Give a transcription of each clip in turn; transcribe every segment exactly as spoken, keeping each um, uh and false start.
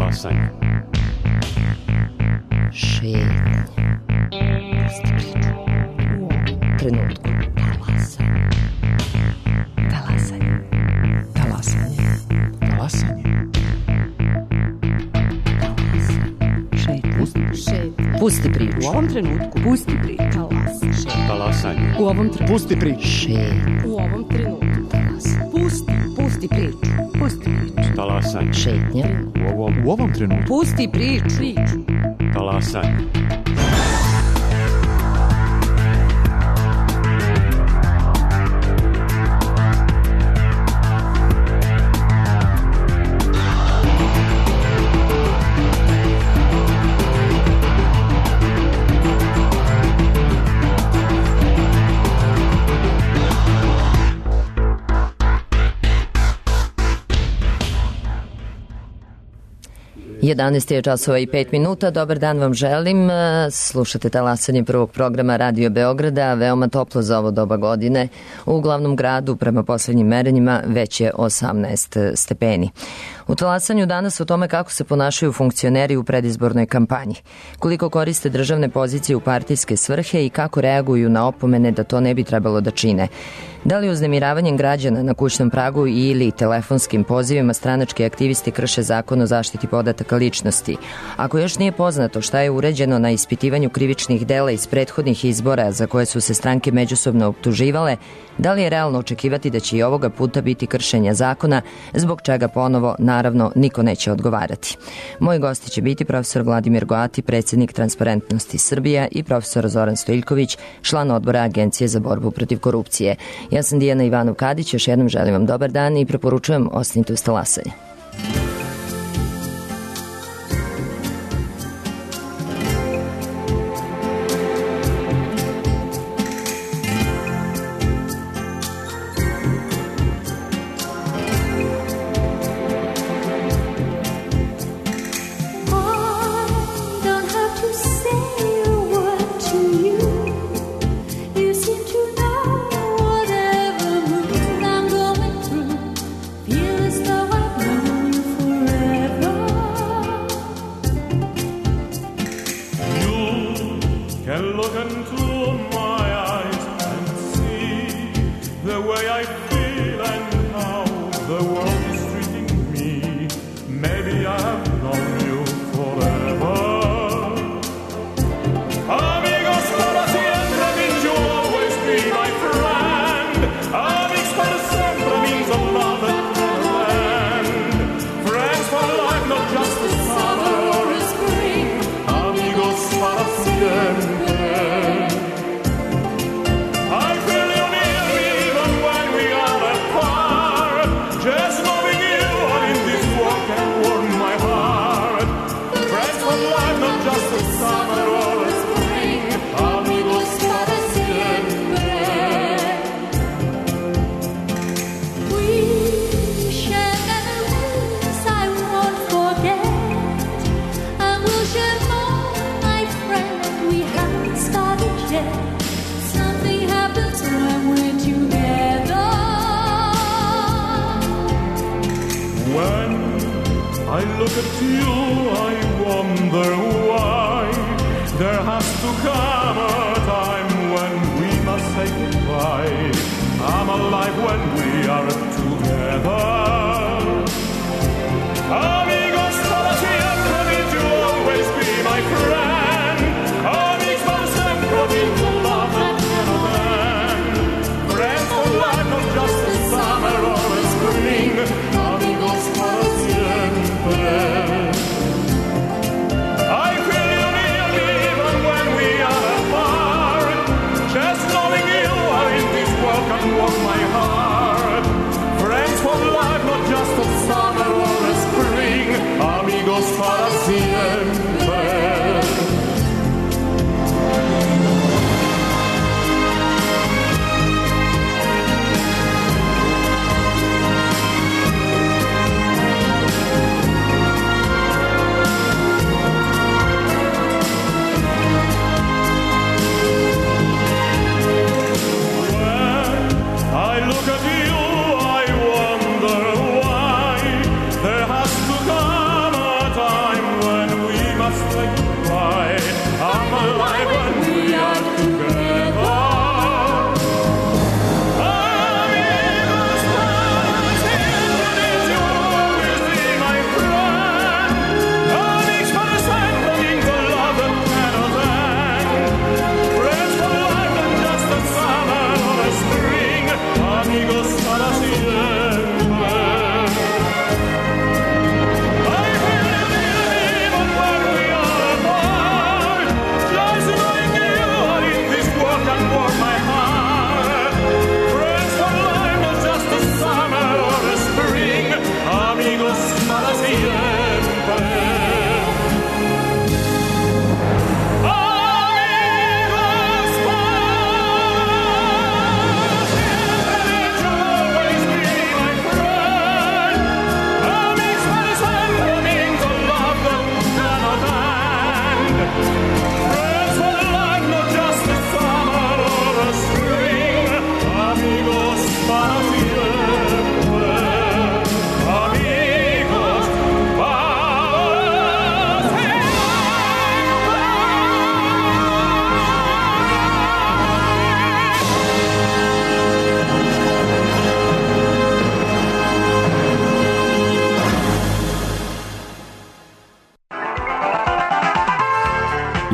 Talasanje. Šetnja. Pusti priču. U ovom trenutku. Talasanje. Talasanje. Talasanje. Talasanje. Šetnja. Pusti priču. U ovom trenutku. Pusti priču. Talasanje. U ovom trenutku. Pusti priču. Šetnja. U ovom trenutku. Talasanje. Pusti. Pusti priču. Pusti priču. Talasanje. Šetnja. U ovom, U ovom trenutku. Pusti priču. Priču. talasanje. jedanaest je časova i pet minuta. Dobar dan vam želim. Slušate talasanje prvog programa Radio Beograda. Veoma toplo za ovo doba godine. U glavnom gradu, prema poslednjim merenjima, već je osamnaest stepeni. U talasanju danas o tome kako se ponašaju funkcioneri u predizbornoj kampanji, koliko koriste državne pozicije u partijske svrhe i kako reaguju na opomene da to ne bi trebalo da čine. Da li uznemiravanjem građana na kućnom pragu ili telefonskim pozivima stranački aktivisti krše zakon o zaštiti podataka ličnosti? Ako još nije poznato šta je uređeno na ispitivanju krivičnih dela iz prethodnih izbora za koje su se stranke međusobno optuživale, da li je realno očekivati da će i ovoga puta biti kršenja zakona, zbog čega ponovo, naravno, niko neće odgovarati? Moji gosti će biti profesor Vladimir Goati, predsjednik Transparentnosti Srbija, i profesor Zoran Stojiljković, član odbora Agencije za borbu protiv korupcije. Ja sam Dijana Ivanov-Kadić, još jednom želim vam dobar dan i preporučujem ostanite uz talasanje. There has to come a time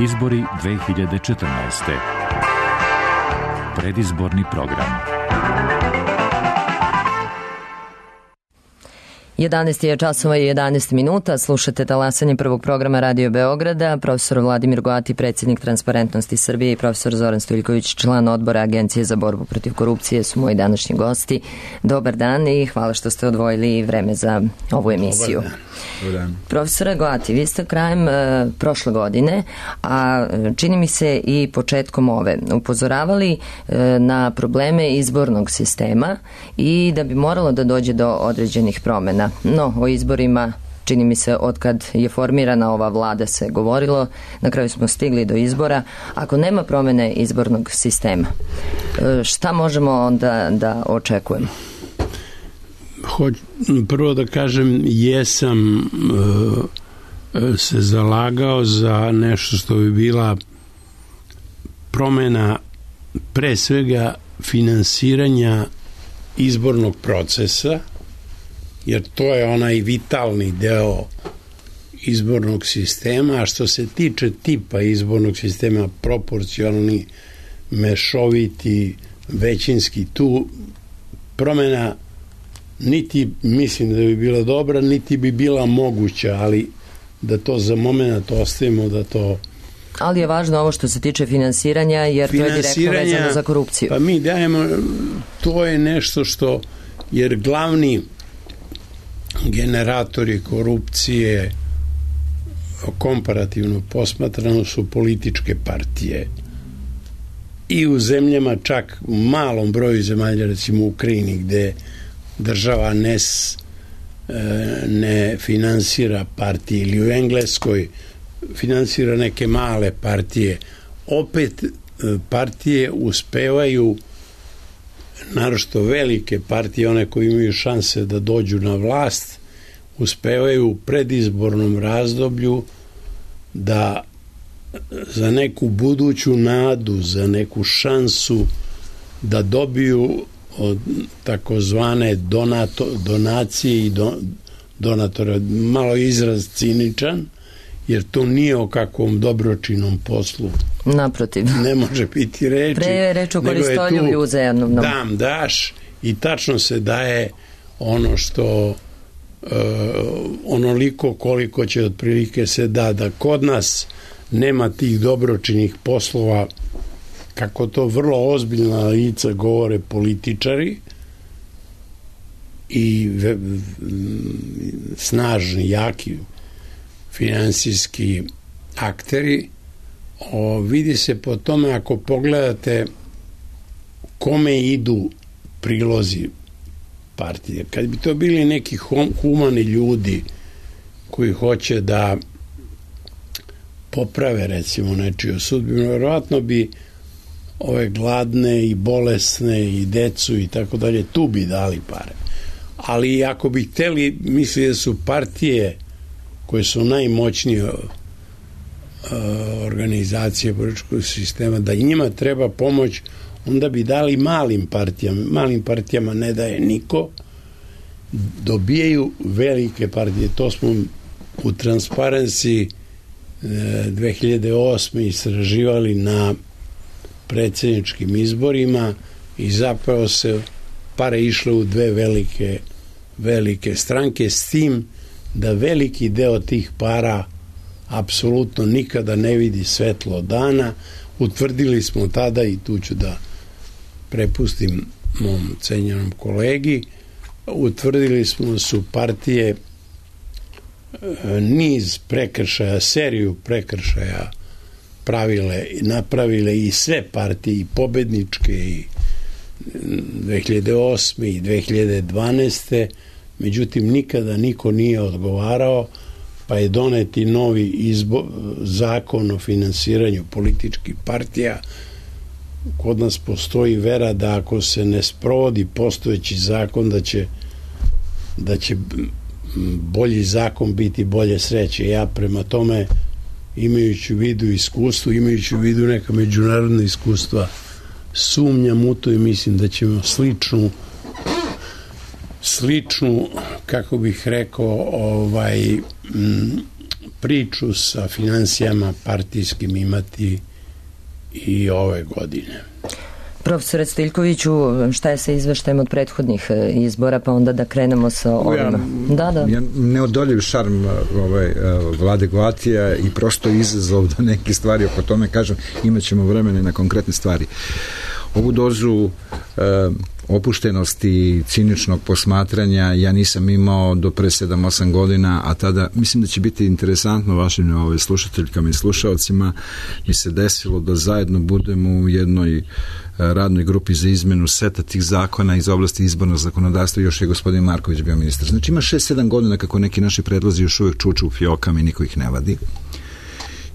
Izbori dve hiljade četrnaeste. Predizborni program. jedanaest je časova i jedanaest minuta, slušate talasanje prvog programa Radio Beograda. Profesor Vladimir Goati, predsjednik Transparentnosti Srbije, i profesor Zoran Stojiljković, član odbora Agencije za borbu protiv korupcije, su moji današnji gosti. Dobar dan i hvala što ste odvojili vreme za ovu emisiju. Dobar dan. Dobar dan. Profesore Goati, vi ste krajem e, prošle godine, a čini mi se i početkom ove, upozoravali e, na probleme izbornog sistema i da bi moralo da dođe do određenih promjena. No, o izborima, čini mi se, otkad je formirana ova vlada se govorilo, na kraju smo stigli do izbora. Ako nema promjene izbornog sistema, šta možemo onda da očekujemo? Hoć, prvo da kažem, jesam e, se zalagao za nešto što bi bila promjena pre svega finansiranja izbornog procesa, jer to je onaj vitalni deo izbornog sistema. A što se tiče tipa izbornog sistema, proporcionalni, mešoviti, većinski, tu promjena niti mislim da bi bila dobra, niti bi bila moguća, ali da to za moment ostavimo, da to... Ali je važno ovo što se tiče finansiranja, jer to je direktno vezano za korupciju. Pa mi dajemo, to je nešto što, jer glavni generatori korupcije komparativno posmatrano su političke partije. I u zemljama, čak u malom broju zemalja, recimo u Ukrajini, gde država ne, ne finansira partije, ili u Engleskoj finansira neke male partije, opet partije uspevaju, naročito velike partije, one koje imaju šanse da dođu na vlast, uspevaju u predizbornom razdoblju da za neku buduću nadu, za neku šansu da dobiju od takozvane donato, donacije i do, donatora, malo izraz ciničan, jer to nije o kakvom dobročinom poslu. Naprotiv. Ne može biti reči. Pre je reč o koristoljublju uzajamnom. Dam, daš i tačno se daje ono što uh, onoliko koliko će otprilike se da, da kod nas nema tih dobročinih poslova, kako to vrlo ozbiljna lica govore političari i ve, snažni, jaki finansijski akteri. O, vidi se po tome, ako pogledate kome idu prilozi partije. Kad bi to bili neki humani ljudi koji hoće da poprave, recimo, nečiju sudbinu, verovatno bi ove gladne i bolesne i decu i tako dalje, tu bi dali pare. Ali ako bi hteli, misli da su partije koje su najmoćnije organizacije političkog sistema, da njima treba pomoć, onda bi dali malim partijama. Malim partijama ne daje niko, dobijaju velike partije. To smo u Transparency dve hiljade osme istraživali na predsjedničkim izborima i zapravo se pare išle u dve velike velike stranke, s tim da veliki deo tih para apsolutno nikada ne vidi svetlo dana. Utvrdili smo tada, i tu ću da prepustim mom cenjenom kolegi, utvrdili smo da su partije niz prekršaja, seriju prekršaja pravile, napravile i sve partije, i pobedničke, i dve hiljade osme i dve hiljade dvanaeste. Međutim, nikada niko nije odgovarao, pa je doneti novi izbo, zakon o finansiranju političkih partija. Kod nas postoji vera da ako se ne sprovodi postojeći zakon, da će, da će bolji zakon biti bolje sreće. Ja prema tome, imajući u vidu iskustvo, imajući u vidu neka međunarodna iskustva, sumnjam u to i mislim da ćemo sličnu sličnu, kako bih rekao, ovaj, m, priču sa financijama partijskim imati i ove godine. Profesore Stiljkoviću, šta je sa izveštajem od prethodnih izbora, pa onda da krenemo sa ovima? Da, da. Ja neodoljiv šarm ovaj, Vlade Goatija i prosto izazov da neke stvari oko tome kažem, imat ćemo vremena na konkretne stvari. Ovu dozu e, opuštenosti i ciničnog posmatranja ja nisam imao do pre sedam osam godina, a tada mislim da će biti interesantno vašim ovaj, slušateljkama i slušalcima. Mi se desilo da zajedno budemo u jednoj radnoj grupi za izmenu seta tih zakona iz oblasti izbornog zakonodavstva i još je gospodin Marković bio ministar. Znači ima šest sedam godina kako neki naši predlozi još uvijek čuču u fiokama i niko ih ne vadi.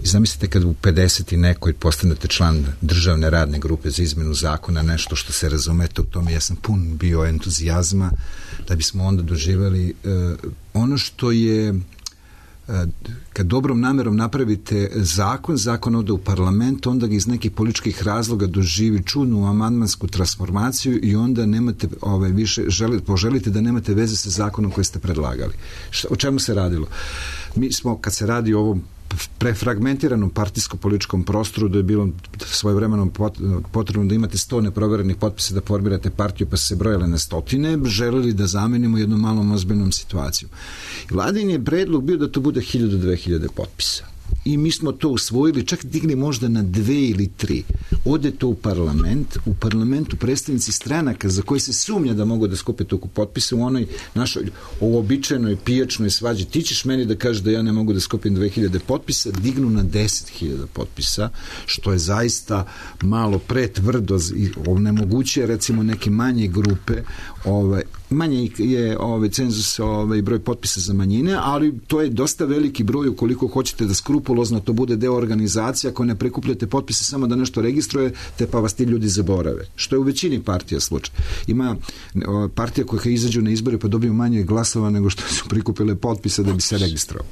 I zamislite kad u pedeset i nekoj postanete član državne radne grupe za izmenu zakona, nešto što se razumete u tome, ja sam pun bio entuzijazma da bismo onda doživjeli uh, ono što je uh, kad dobrom namerom napravite zakon, zakon ode u parlament, onda ga iz nekih političkih razloga doživi čudnu amandmansku transformaciju i onda nemate ovaj, više, želi, poželite da nemate veze sa zakonom koji ste predlagali. Šta, o čemu se radilo? Mi smo, kad se radi o ovom prefragmentiranom partijsko-političkom prostoru, da je bilo svojevremeno potrebno da imate sto neproverenih potpisa da formirate partiju, pa su se brojale na stotine, želeli da zamenimo jednu malom ozbiljnom situaciju. I Vladin je predlog bio da to bude hiljadu do dve hiljade potpisa. I mi smo to usvojili, čak digli možda na dve ili tri. Ode to u parlament, u parlamentu predstavnici stranaka za koji se sumnja da mogu da skupe toliko potpisa u onoj našoj uobičajenoj pijačnoj svađi. Ti ćeš meni da kažeš da ja ne mogu da skupim dve hiljade potpisa, dignu na deset hiljada potpisa, što je zaista malo pretvrdo i onemogućuje recimo neke manje grupe, ovaj, manje je ovaj cenzus, ovaj broj potpisa za manjine, ali to je dosta veliki broj ukoliko hoćete da skrupulozno to bude deo organizacije, ako ne prikupljate potpise samo da nešto registrujete, pa vas ti ljudi zaborave. Što je u većini partija slučaj. Ima partija koja izađu na izbore pa dobiju manje glasova nego što su prikupile potpise da bi se registrovali.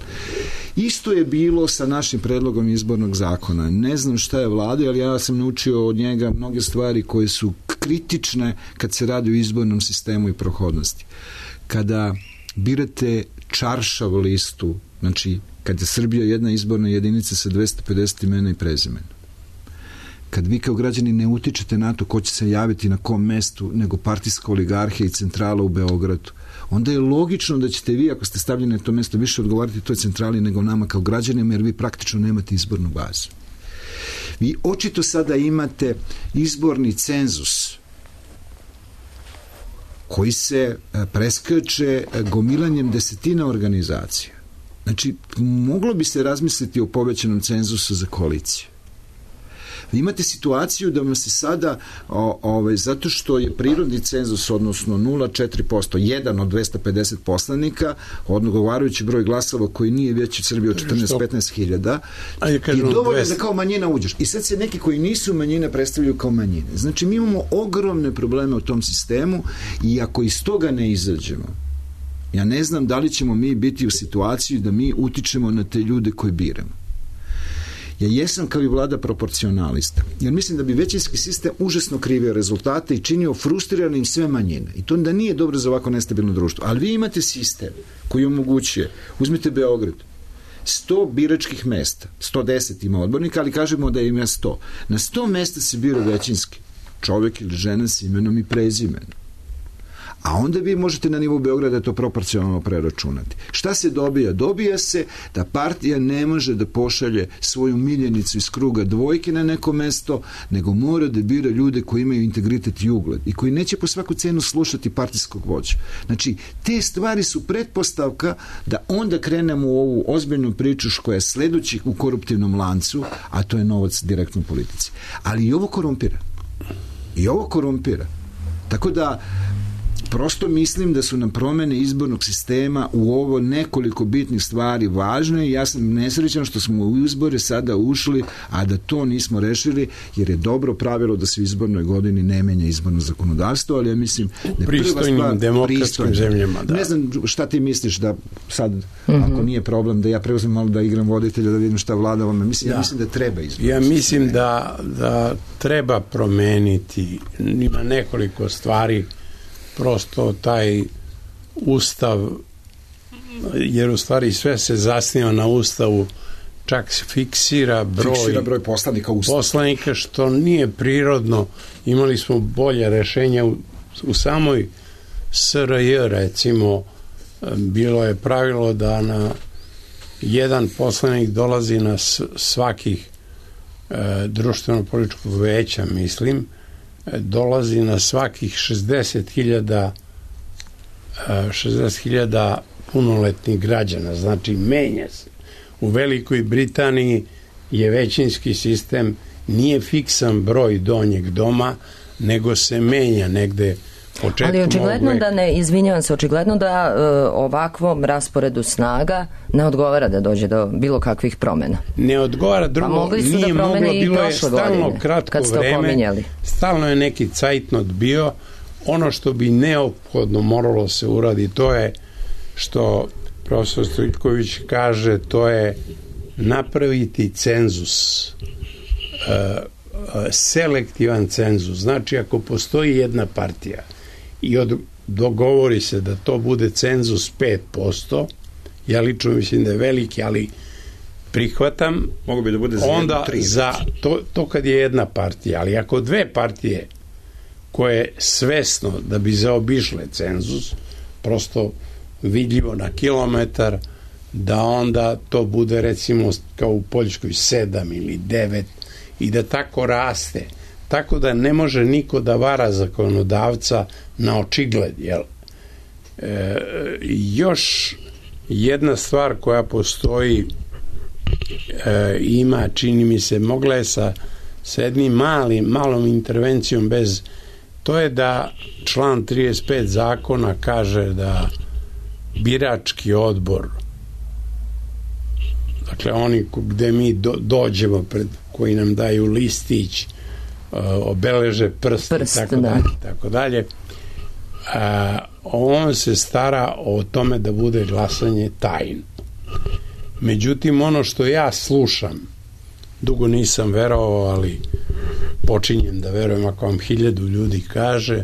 Isto je bilo sa našim predlogom izbornog zakona. Ne znam šta je Vlada, ali ja sam naučio od njega mnoge stvari koje su kritične kad se radi o izbornom sistemu i prohodnosti. Kada birate čaršav listu, znači kad je Srbija jedna izborna jedinica sa dvesta pedeset imena i prezimena, kad vi kao građani ne utičete na to ko će se javiti na kom mestu nego partijska oligarhija i centrala u Beogradu, onda je logično da ćete vi, ako ste stavljeni na to mesto, više odgovarati toj centrali nego nama kao građanima, jer vi praktično nemate izbornu bazu. Vi očito sada imate izborni cenzus koji se preskače gomilanjem desetina organizacija. Znači, moglo bi se razmisliti o povećanom cenzusu za koaliciju. Vi imate situaciju da vam se sada, o, ovaj, zato što je prirodni cenzus, odnosno nula zarez četiri posto, jedan od dvesta pedeset poslanika, odgovarajući broj glasova koji nije veći u Srbiji od četrnaest do petnaest hiljada, je dovoljno da kao manjina uđeš. I sad se neki koji nisu manjine predstavljaju kao manjine. Znači, mi imamo ogromne probleme u tom sistemu i ako iz toga ne izađemo, ja ne znam da li ćemo mi biti u situaciji da mi utičemo na te ljude koje biramo. Ja jesam kao i Vlada proporcionalista, jer mislim da bi većinski sistem užasno krivio rezultate i činio frustriranim sve manjine. I to da nije dobro za ovako nestabilno društvo. Ali vi imate sistem koji omogućuje, uzmite Beograd, sto biračkih mesta, sto deset ima odbornika, ali kažemo da ima sto. Na sto mesta se bira većinski čovjek ili žena s imenom i prezimenom. A onda vi možete na nivou Beograda to proporcionalno preračunati. Šta se dobija? Dobija se da partija ne može da pošalje svoju miljenicu iz kruga dvojke na neko mesto, nego mora da bira ljude koji imaju integritet i ugled i koji neće po svaku cenu slušati partijskog vođa. Znači, te stvari su pretpostavka da onda krenemo u ovu ozbiljnu priču koja je sledeći u koruptivnom lancu, a to je novac direktno u politici. Ali i ovo korumpira. I ovo korumpira. Tako da prosto mislim da su nam promene izbornog sistema u ovo nekoliko bitnih stvari važne i ja sam nesrećan što smo u izbore sada ušli, a da to nismo rešili, jer je dobro pravilo da se u izbornoj godini ne menja izborno zakonodavstvo, ali ja mislim da je prva stvar demokratskim zemljama. Da. Ne znam šta ti misliš da sad, mm-hmm. ako nije problem, da ja preuzmem malo da igram voditelja, da vidim šta vlada ovome. Mislim, da. Ja mislim da treba izborno. Ja mislim da, da treba promeniti, ima nekoliko stvari. Prosto taj ustav jer u stvari sve se zasniva na Ustavu, čak se fiksira broj, fiksira broj poslanika Ustava. poslanika, što nije prirodno. Imali smo bolje rešenja u, u samoj S R J, recimo, bilo je pravilo da na jedan poslanik dolazi na svakih e, društveno-političkog veća, mislim, e, dolazi na svakih šezdeset hiljada šezdeset hiljada punoletnih građana, znači menja se. U Velikoj Britaniji je većinski sistem, nije fiksan broj donjeg doma, nego se menja negde početkom. Ali očigledno da ne, izvinjavam se, očigledno da e, ovakvom rasporedu snaga ne odgovara da dođe do bilo kakvih promena. Ne odgovara, drugo, pa mogli su nije da moglo, bilo je stalno godine, kratko vreme, pominjali. Stalno je neki cajtnot bio. Ono što bi neophodno moralo se uradi, to je što profesor Stojiljković kaže, to je napraviti cenzus, uh, uh, selektivan cenzus. Znači, ako postoji jedna partija i od, dogovori se da to bude cenzus pet posto, ja lično mislim da je veliki, ali prihvatam, mogu bi da bude za onda jednu, za to, to kad je jedna partija, ali ako dve partije koje svesno da bi zaobišle cenzus, prosto vidljivo na kilometar, da onda to bude recimo kao u Poljskoj sedam ili devet i da tako raste. Tako da ne može niko da vara zakonodavca na očigled. Jel? E, još jedna stvar koja postoji, e, ima, čini mi se, mogla je sa, sa jednim malim, malom intervencijom bez, to je da član trideset pet zakona kaže da birački odbor, dakle oni gde mi do, dođemo pred, koji nam daju listić, uh, obeleže prst, prst i tako da. dalje, tako dalje, a, on se stara o tome da bude glasanje tajno. Međutim, ono što ja slušam, dugo nisam verovao, ali počinjem da verujem ako vam hiljadu ljudi kaže,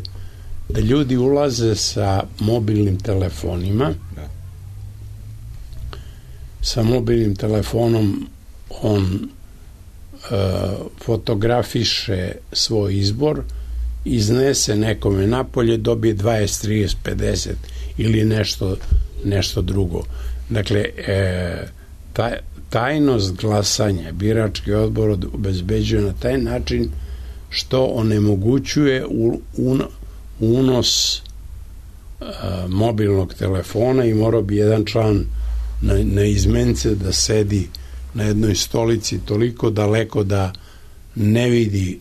da ljudi ulaze sa mobilnim telefonima, da. Sa mobilnim telefonom on uh, fotografiše svoj izbor, iznese nekome napolje, dobije dvadeset, trideset, pedeset ili nešto, nešto drugo. Dakle, e, taj, tajnost glasanja birački odbor obezbeđuje na taj način što onemogućuje u, un, unos a, mobilnog telefona i morao bi jedan član na, na izmence da sedi na jednoj stolici toliko daleko da ne vidi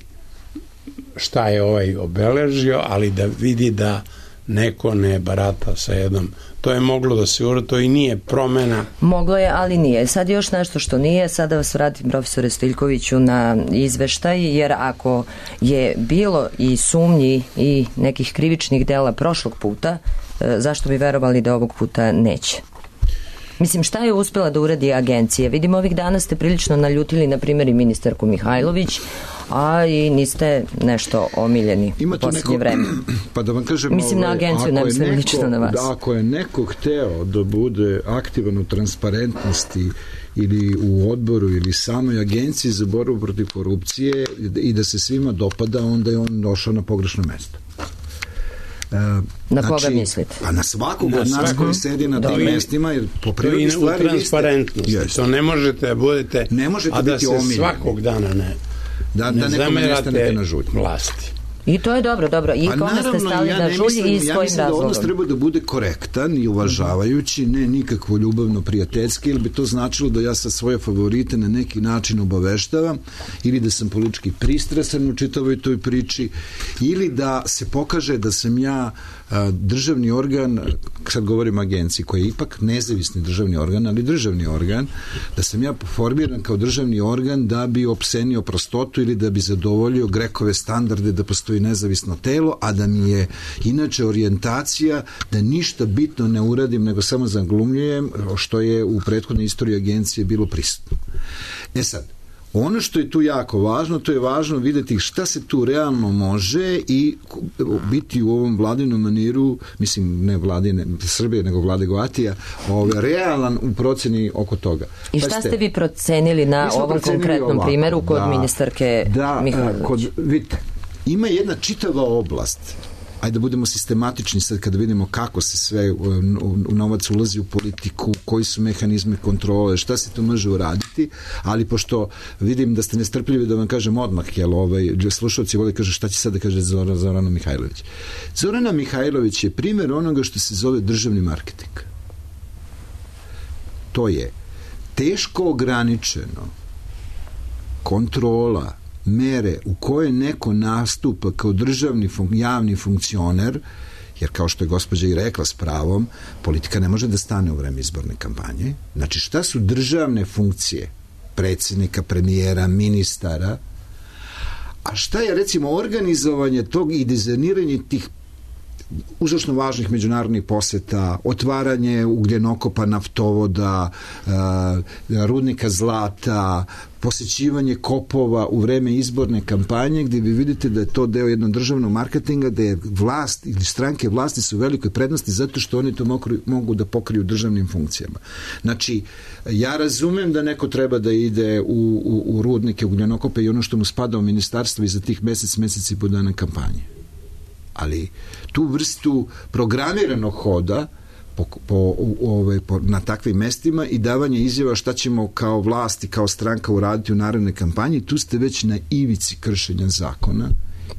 šta je ovaj obeležio, ali da vidi da neko ne barata sa jednom. To je moglo da se uradi, to i nije promena. Moglo je, ali nije. Sad još nešto što nije, sada vas vratim, profesore Stojiljkoviću, na izveštaj, jer ako je bilo i sumnji i nekih krivičnih dela prošlog puta, zašto bi verovali da ovog puta neće? Mislim, šta je uspela da uradi agencija? Vidimo, ovih dana ste prilično naljutili, na primjer, i ministarku Mihajlović, a i niste nešto omiljeni u posljednje vreme. Pa da vam kažem, mislim ovaj, na agenciju, ne mislim lično na vas. Da, ako je neko hteo da bude aktivan u transparentnosti ili u odboru ili samoj agenciji za borbu protiv korupcije i da se svima dopada, onda je on došao na pogrešno mesto. Uh, na znači, koga mislite? Pa na svakog od nas koji sedi na tim mestima, jer po prirodi stvari u transparentnosti. Ste, to ne možete da budete, ne možete a da biti se omiljeni. Svakog dana ne, da, ne da nekome nestanete na žulj. Vlasti. I to je dobro, dobro. I kome ste stali ja na žulji i s ja kojim mislim da razlogom? odnos treba da bude korektan i uvažavajući, ne nikakvo ljubavno prijateljski, ili bi to značilo da ja sa svoje favorite na neki način obaveštavam, ili da sam politički pristrasan u čitavoj toj priči, ili da se pokaže da sam ja a, državni organ, sad govorim o agenciji, koji je ipak nezavisni državni organ, ali državni organ, da sam ja formiran kao državni organ da bi opsenio prostotu ili da bi zadovoljio Grekove standarde da postoji nezavisno telo, a da mi je inače orijentacija da ništa bitno ne uradim, nego samo zaglumljujem, što je u prethodnoj istoriji agencije bilo prisutno. E sad, Ono što je tu jako važno, to je važno vidjeti šta se tu realno može i biti u ovom vladinom maniru, mislim ne vladine Srbije, nego Vlade Goatija, ovaj, realan u proceni oko toga. I šta ste vi procenili na ovom konkretnom ovako, primjeru kod da, ministarke da, Mihajlović? Kod, vidite, ima jedna čitava oblast, ajde da budemo sistematični sad kada vidimo kako se sve u, u, u novac ulazi u politiku, koji su mehanizme kontrole, šta se to može uraditi, ali pošto vidim da ste nestrpljivi da vam kažem odmah, jel ovaj, slušalci vole kaže šta će sad da kaže Zora, Zorana Mihajlović. Zorana Mihajlović je primjer onoga što se zove državni marketing. To je teško ograničeno kontrola mere u koje neko nastupa kao državni fun- javni funkcioner, jer kao što je gospođa i rekla s pravom, politika ne može da stane u vreme izborne kampanje. Znači šta su državne funkcije predsjednika, premijera, ministara, a šta je recimo organizovanje tog i dizajniranje tih užasno važnih međunarodnih poseta, otvaranje ugljenokopa, naftovoda, rudnika zlata, posjećivanje kopova u vreme izborne kampanje, gdje vi vidite da je to deo jednog državnog marketinga, da je vlast ili stranke vlasti su u velikoj prednosti zato što oni to mogu, mogu da pokriju državnim funkcijama. Znači, ja razumem da neko treba da ide u, u, u rudnike, ugljenokope i ono što mu spada u ministarstvo i za tih mesec, mesec i po dana kampanje. Ali tu vrstu programiranog hoda po, po, ove, po, na takvim mestima i davanje izjava šta ćemo kao vlast i kao stranka uraditi u narednoj kampanji, tu ste već na ivici kršenja zakona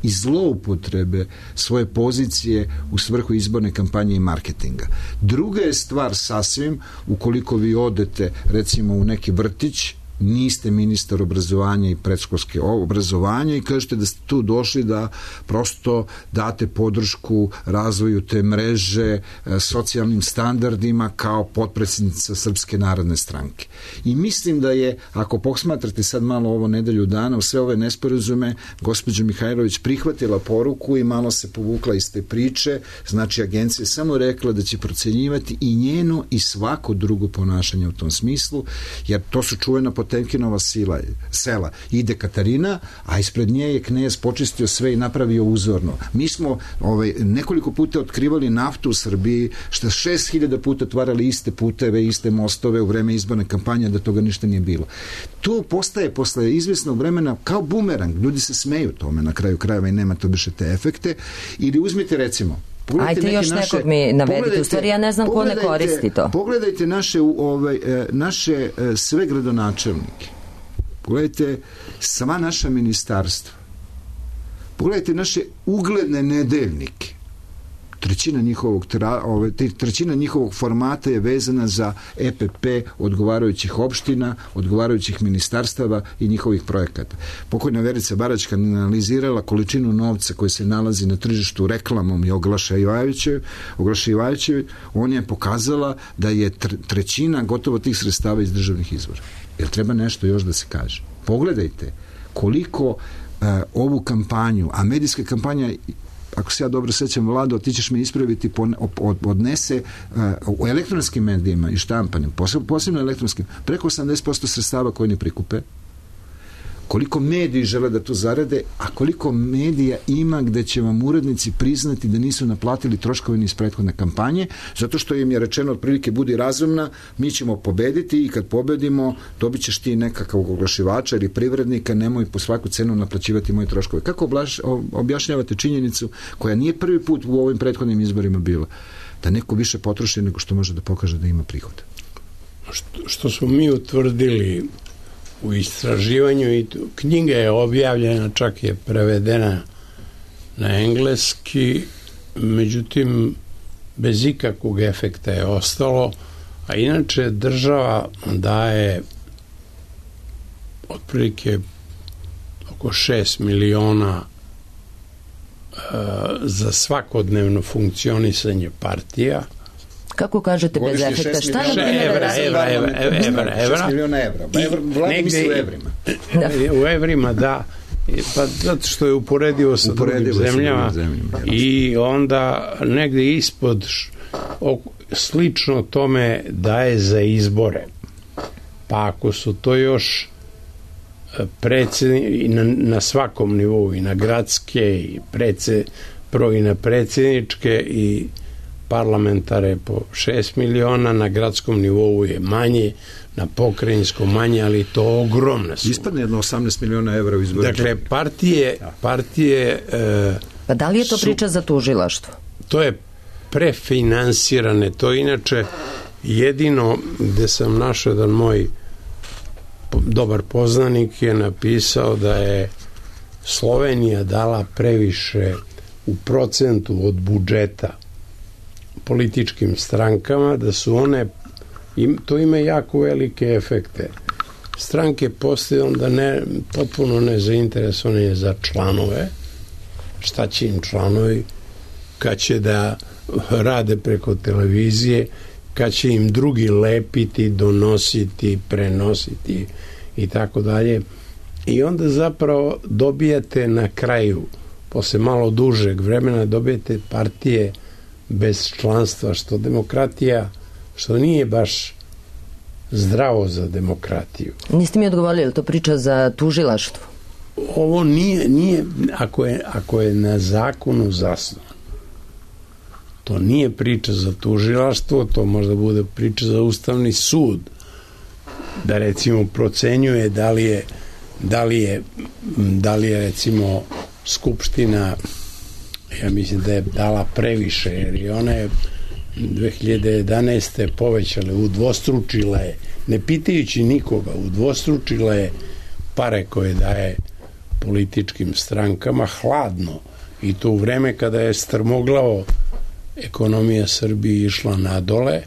i zloupotrebe svoje pozicije u svrhu izborne kampanje i marketinga. Druga je stvar sasvim, ukoliko vi odete recimo u neki vrtić, niste ministar obrazovanja i predškolske obrazovanja i kažete da ste tu došli da prosto date podršku razvoju te mreže, socijalnim standardima kao potpredsjednica Srpske narodne stranke. I mislim da je, ako posmatrate sad malo ovo nedelju dana, u sve ove nesporazume, gospođa Mihajlović prihvatila poruku i malo se povukla iz te priče, znači agencija je samo rekla da će procenjivati i njeno i svako drugo ponašanje u tom smislu, jer to su čuvena Potemkinova sila, sela. Ide Katarina, a ispred nje je knez počistio sve i napravio uzorno. Mi smo ovaj, nekoliko puta otkrivali naftu u Srbiji, što šest hiljada puta otvarali iste puteve, iste mostove u vreme izborne kampanje, da toga ništa nije bilo. To postaje posle izvesnog vremena kao bumerang. Ljudi se smeju tome na kraju krajeva i nema to više te efekte. Ili uzmite recimo Ajde još naše, nekog mi navedite, u stvari ja ne znam ko ne koristi to. Pogledajte naše, ovaj, naše sve gradonačelnike, pogledajte sva naša ministarstva, pogledajte naše ugledne nedeljnike. Trećina njihovog, ove, trećina njihovog formata je vezana za E P P odgovarajućih opština, odgovarajućih ministarstava i njihovih projekata. Pokojna Verica Baračka analizirala količinu novca koji se nalazi na tržištu reklamom i oglašivajućevi, on je pokazala da je trećina gotovo tih sredstava iz državnih izvora. Jer treba nešto još da se kaže. Pogledajte koliko uh, ovu kampanju, a medijska kampanja, ako se ja dobro sećam, Vlado, ti ćeš me ispraviti, odnese uh, u elektronskim medijima i štampanim, posebno, posebno elektronskim, preko osamdeset posto sredstava koje ne prikupe. Koliko mediji žele da to zarade, a koliko medija ima gde će vam urednici priznati da nisu naplatili troškove iz prethodne kampanje, zato što im je rečeno otprilike budi razumna, mi ćemo pobediti i kad pobedimo dobit ćeš ti nekakav oglašivača ili privrednika, nemoj po svaku cenu naplaćivati moje troškove. Kako objašnjavate činjenicu koja nije prvi put u ovim prethodnim izborima bila, da neko više potroši nego što može da pokaže da ima prihod? Što, što smo mi utvrdili u istraživanju, i knjiga je objavljena, čak je prevedena na engleski, međutim bez ikakvog efekta je ostalo, a inače država daje otprilike oko šest miliona uh, za svakodnevno funkcionisanje partija. Kako kažete bez efekta? Šta na primjer? Evra, evra, evra, evra, evra. šest miliona evra. Vlada misli u evrima. U evrima, da. Pa zato što je uporedivo sa drugim zemljama i onda negde ispod slično tome daje za izbore. Pa ako su to još predsjedni, na, na svakom nivou, i na gradske, i, predsed, pro, i na predsjedničke, i parlamentare po šest miliona, na gradskom nivou je manje, na pokrajinskom manje, ali to ogromna suma. Ispadne jedno osamnaest miliona evra u izboru. Dakle, partije, partije e, pa da li je to su, priča za tužilaštvo? To je prefinansirane, to inače jedino gde sam našao jedan moj dobar poznanik je napisao da je Slovenija dala previše u procentu od budžeta političkim strankama, da su one, im, to ima jako velike efekte. Stranke postaju onda ne, potpuno nezainteresovane za članove. Šta će im članovi? Kad će da rade preko televizije, kad će im drugi lepiti, donositi, prenositi i tako dalje. I onda zapravo dobijate na kraju, posle malo dužeg vremena, dobijete partije bez članstva, što demokratija, što nije baš zdravo za demokratiju. Niste mi odgovorili, je li to priča za tužilaštvo? Ovo nije, nije ako, je, ako je na zakonu zasnovan. To nije priča za tužilaštvo, to možda bude priča za Ustavni sud, da recimo procenjuje da li je, da li je, da li je recimo Skupština, ja mislim da je dala previše, jer i ona je dve hiljade jedanaeste povećale, udvostručila je, ne pitajući nikoga, udvostručila je pare koje daje političkim strankama hladno, i to u vreme kada je strmoglavo ekonomija Srbije išla nadole.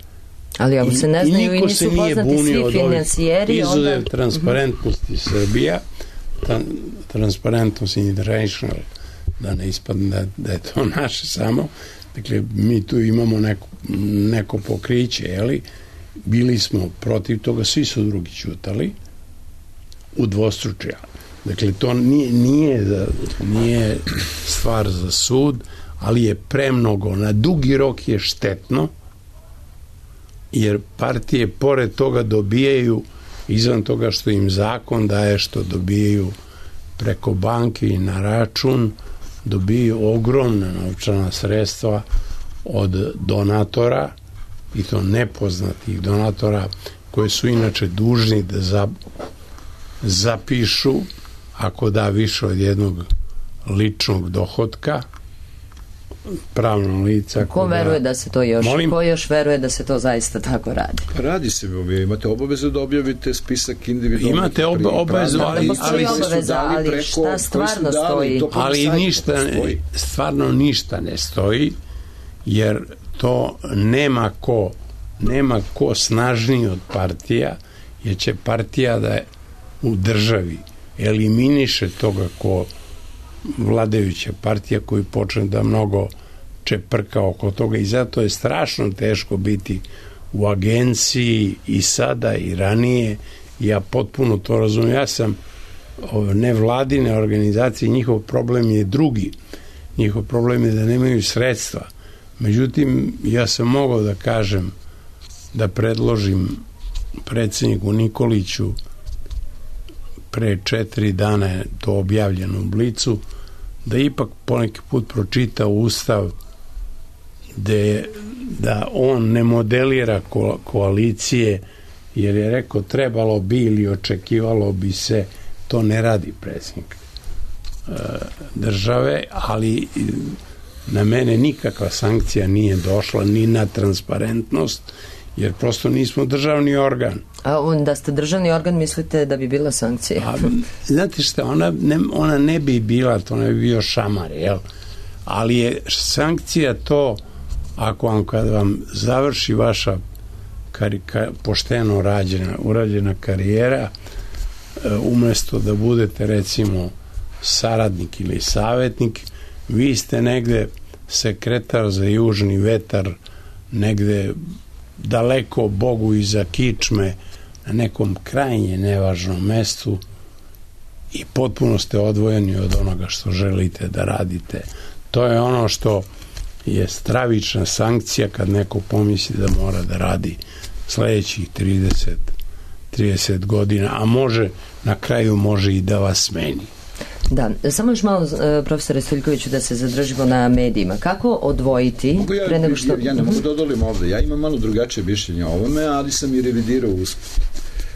Ali ako se ne znaju i nisu poznati svi financijeri, izuzev onda... transparentnosti uh-huh. Srbija, ta, Transparentnost International, da ne ispadne da, da je to naše samo, dakle mi tu imamo neko, neko pokriće, jeli, bili smo protiv toga, svi su drugi ćutali, udvostručija. Dakle, to nije, nije, nije stvar za sud, ali je premnogo, na dugi rok je štetno, jer partije pored toga dobijaju, izvan toga što im zakon daje, što dobijaju preko banke i na račun, dobijaju ogromna novčana sredstva od donatora, i to nepoznatih donatora, koje su inače dužni da za, zapišu ako da više od jednog ličnog dohotka, pravno lica. Ko veruje da se to još, Molim? ko još veruje da se to zaista tako radi? Radi se, vi imate obavezu da objavite spisak individualnih. Imate ob, obavezu, ali, ali, ali, obaveza, ali preko, šta stvarno stoji? Ali ništa, stoji. stvarno ništa ne stoji, jer to nema ko, nema ko snažniji od partija, jer će partija da je u državi eliminiše toga ko vladajuća partija koji počne da mnogo čeprka oko toga, i zato je strašno teško biti u agenciji i sada i ranije. Ja potpuno to razumijem. Ja sam nevladine organizacije, njihov problem je drugi. Njihov problem je da nemaju sredstva. Međutim, ja sam mogao da kažem, da predložim predsjedniku Nikoliću, pre četiri dana je to objavljeno u Blicu, da ipak poneki put pročita Ustav, de, da on ne modelira ko, koalicije, jer je rekao trebalo bi ili očekivalo bi se, to ne radi predsjednik e, države, ali na mene nikakva sankcija nije došla, ni na transparentnost, jer prosto nismo državni organ. A da ste državni organ, mislite da bi bila sankcija? A, znate šta, ona ne, ona ne bi bila, to ne bi bio šamar, jel? Ali je sankcija to, ako vam, kad vam završi vaša kari, ka, pošteno rađena, urađena karijera, umjesto da budete recimo saradnik ili savjetnik, vi ste negde sekretar za južni vetar, negde daleko Bogu iza kičme, na nekom krajnje nevažnom mestu, i potpuno ste odvojeni od onoga što želite da radite. To je ono što je stravična sankcija kad neko pomisli da mora da radi sledećih trideset trideset godina, a može, na kraju može i da vas smeni. Da, samo još malo, profesore Stojiljkoviću, da se zadržimo na medijima. Kako odvojiti Mogu ja, pre nego što... Ja, ja ne mogu da odolim ovde. Ja imam malo drugačije mišljenje o ovome, ali sam i revidirao usput.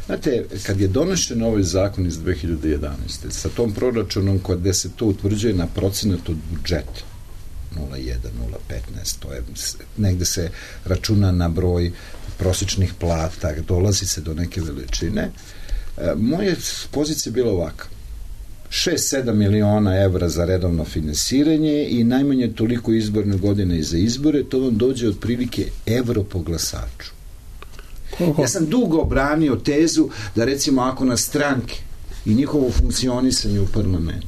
Znate, kad je donošen ovaj zakon iz dve hiljade jedanaeste sa tom proračunom gde se to utvrđuje na procenat od budžeta nula zarez jedan, nula zarez petnaest, to je, negde se računa na broj prosječnih plata, dolazi se do neke veličine. E, moja pozicija je bila ovaka. šest sedam miliona evra za redovno finansiranje i najmanje toliko izborne godine i za izbore, to vam dođe otprilike evro po glasaču. Ja sam dugo branio tezu da recimo ako nas stranke i njihovo funkcionisanje u parlamentu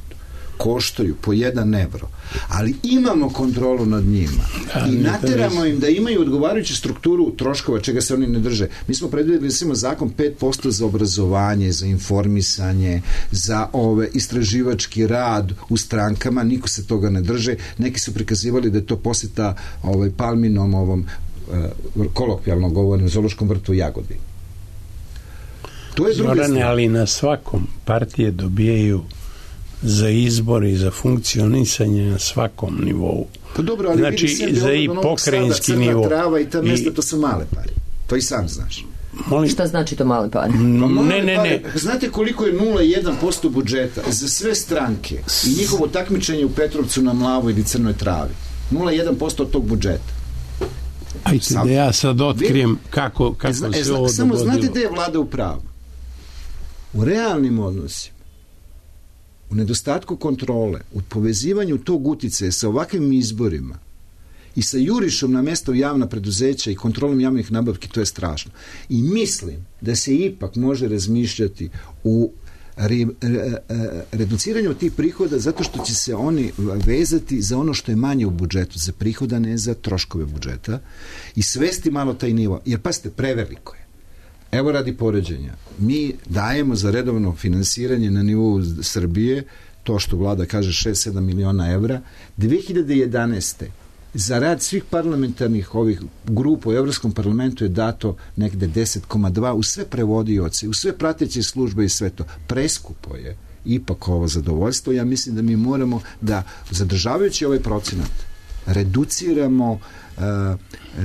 koštaju po jedan evro, ali imamo kontrolu nad njima i nateramo im da imaju odgovarajuću strukturu troškova čega se oni ne drže. Mi smo predvideli recimo zakon pet posto za obrazovanje, za informisanje, za ove istraživački rad u strankama, niko se toga ne drže. Neki su prikazivali da je to posjeta ovaj, Palminom ovom uh, kolokvijalno govorim, zoološkom vrtu u Jagodini. To je druga Zorane, ali na svakom partije dobijaju za izbor i za funkcionisanje na svakom nivou. Pa dobro, ali znači, vidi za i pokrajinski nivo. Trava i ta mesta, I, to su male pare. To i sam znaš. Molim. Šta znači to male pare? Ne, ne, ne. Znate koliko je nula zarez jedan posto budžeta za sve stranke i njihovo takmičenje u Petrovcu na Mlavu ili Crnoj Travi? nula zarez jedan posto od tog budžeta. Ajde Sam, da ja sad otkrijem kako, kako e, zna, se e, zna, ovo samo dogodilo. znate gde je vlada u pravu? U realnim odnosima, u nedostatku kontrole, u povezivanju tog uticaja sa ovakvim izborima i sa jurišom na mesto javna preduzeća i kontrolom javnih nabavki, to je strašno. I mislim da se ipak može razmišljati u re, re, reduciranju tih prihoda zato što će se oni vezati za ono što je manje u budžetu, za prihoda, ne za troškove budžeta i svesti malo taj nivo. Jer pasite, preveliko je. Evo radi poređenja. Mi dajemo za redovno finansiranje na nivou Srbije, to što vlada kaže šest sedam miliona evra, dve hiljade jedanaeste za rad svih parlamentarnih ovih grupa u Evropskom parlamentu je dato negde deset zarez dva u sve prevodioce, u sve prateće službe i sve to. Preskupo je ipak ovo zadovoljstvo. Ja mislim da mi moramo da, zadržavajući ovaj procenat, reduciramo uh,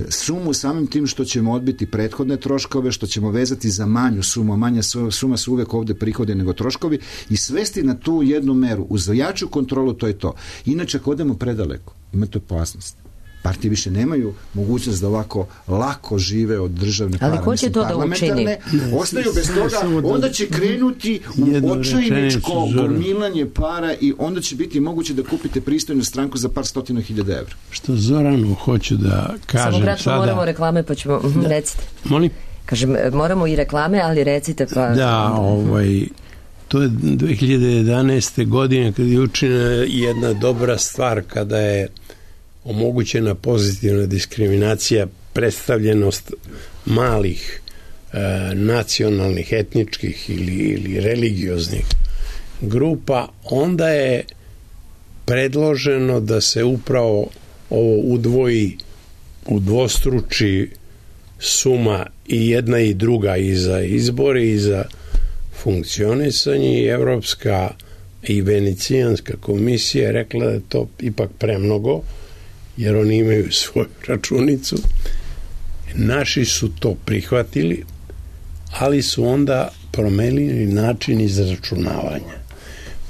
sumu samim tim što ćemo odbiti prethodne troškove, što ćemo vezati za manju sumu, manja suma su uvek ovde prihode nego troškovi i svesti na tu jednu meru. Uz jaču kontrolu to je to. Inače, ako odemo predaleko, imate opasnost. Partije više nemaju mogućnost da ovako lako žive od državne para. Ali ko će to da učini? Ostaju bez toga, onda će krenuti u očajničko gomilanje para i onda će biti moguće da kupite pristojnu stranku za par stotina hiljada evra. Što Zoranu hoću da kažem Samo kratko sada... moramo reklame, pa ćemo... Da. Recite. Molim? Kažem, moramo i reklame, ali recite pa... Da, ovaj... To je dve hiljade jedanaeste. godine kada je učinjena jedna dobra stvar, kada je omogućena pozitivna diskriminacija, predstavljenost malih e, nacionalnih, etničkih ili, ili religioznih grupa, onda je predloženo da se upravo ovo udvoji, udvostruči suma i jedna i druga i za izbore i za funkcionisanje i Evropska i Venecijanska komisija je rekla da je to ipak premnogo, jer oni imaju svoju računicu. Naši su to prihvatili, ali su onda promenili način izračunavanja.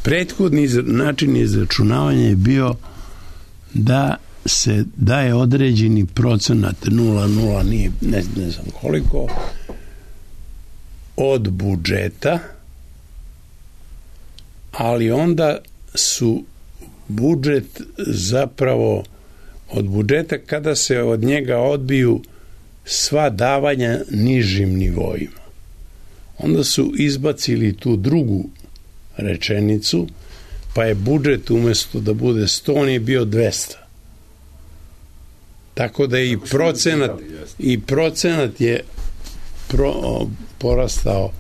Prethodni način izračunavanja je bio da se daje određeni procenat nula zarez nula, nije, ne, ne znam koliko, od budžeta, ali onda su budžet zapravo od budžeta kada se od njega odbiju sva davanja nižim nivoima. Onda su izbacili tu drugu rečenicu, pa je budžet umesto da bude sto, on je bio dvesta. Tako da i procenat i procenat je pro, porastao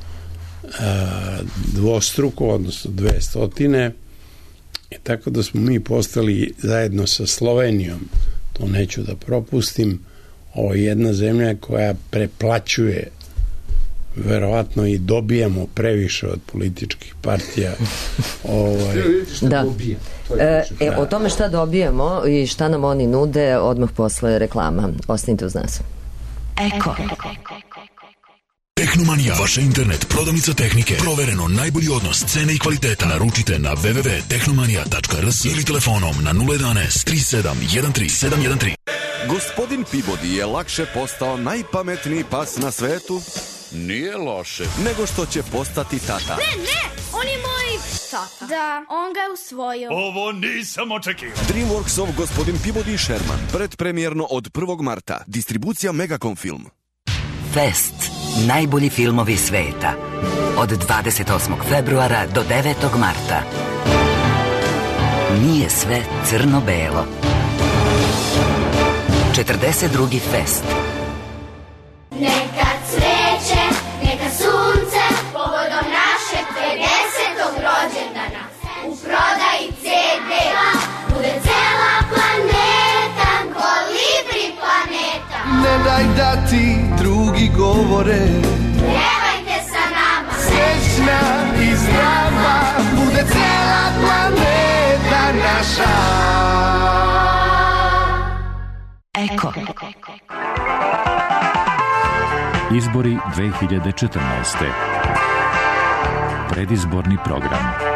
a, dvostruko, odnosno dve stotine, i tako da smo mi postali zajedno sa Slovenijom, to neću da propustim, ovo je jedna zemlja koja preplaćuje verovatno i dobijamo previše od političkih partija. ovaj. Da. E, e, o tome šta dobijamo i šta nam oni nude odmah posle reklama. Ostanite uz nas. Eko. Tehnomanija, vaša internet prodavnica tehnike. Provereno najbolji odnos cene i kvaliteta. Naručite na w w w tačka tehnomanija tačka r s ili telefonom na nula jedanaest tri sedam jedan tri sedam jedan tri. Gospodin Peabody je lakše postao najpametniji pas na svetu. Nije loše. Nego što će postati tata. Ne, ne, on je moj tata. Da, on ga je usvojio. Ovo nisam očekivao. Dreamworksov Gospodin Peabody Sherman. Predpremjerno od prvog marta. Distribucija Megacom Film. Fest. Najbolji filmovi sveta. Od dvadeset osmog februara do devetog marta. Nije sve crno-belo. četrdeset drugi Fest. Neka cveće, neka sunce, povodom našeg pedesetog rođendana. U prodaji ce de bude cela planeta, kolibri planeta. Ne daj da ti drugi govore, pjevajte sa nama. Srećna i zdrava bude cela planeta naša. Eko. Izbori dve hiljade četrnaeste. Predizborni program.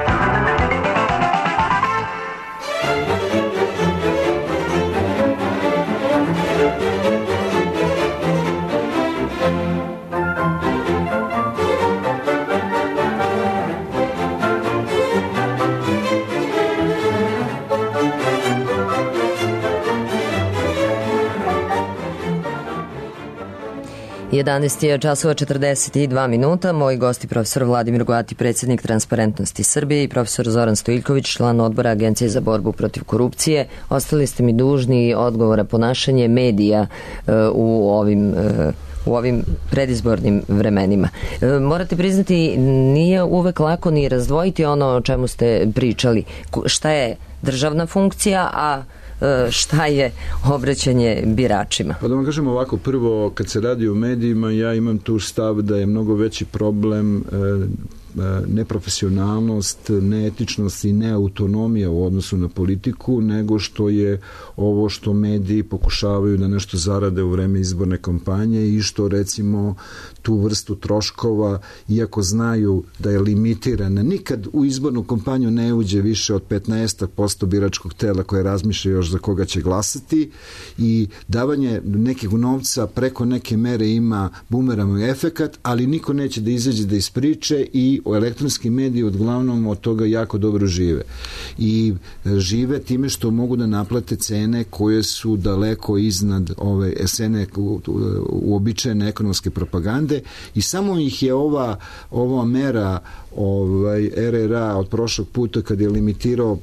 jedanaest je časova četrdeset dva minuta. Moji gosti profesor Vladimir Goati, predsjednik Transparentnosti Srbije, i profesor Zoran Stojiljković, član odbora Agencije za borbu protiv korupcije. Ostali ste mi dužni odgovora ponašanje medija uh, u ovim uh, u ovim predizbornim vremenima. E, morate priznati, nije uvek lako ni razdvojiti ono o čemu ste pričali. Šta je državna funkcija, a šta je obraćanje biračima? Pa da vam kažem ovako, prvo, kad se radi o medijima, ja imam tu stav da je mnogo veći problem e, neprofesionalnost, neetičnost i neautonomija u odnosu na politiku, nego što je ovo što mediji pokušavaju da nešto zarade u vreme izborne kampanje i što recimo tu vrstu troškova, iako znaju da je limitirana, nikad u izbornu kampanju ne uđe više od petnaest posto biračkog tela koje razmišlja još za koga će glasati, i davanje nekog novca preko neke mere ima bumerang efekat, ali niko neće da izađe da ispriče, i elektronski mediji uglavnom od toga jako dobro žive. I žive time što mogu da naplate cene koje su daleko iznad ove cene uobičajene ekonomske propagande, i samo ih je ova, ova mera ovaj, er er a od prošlog puta, kad je limitirao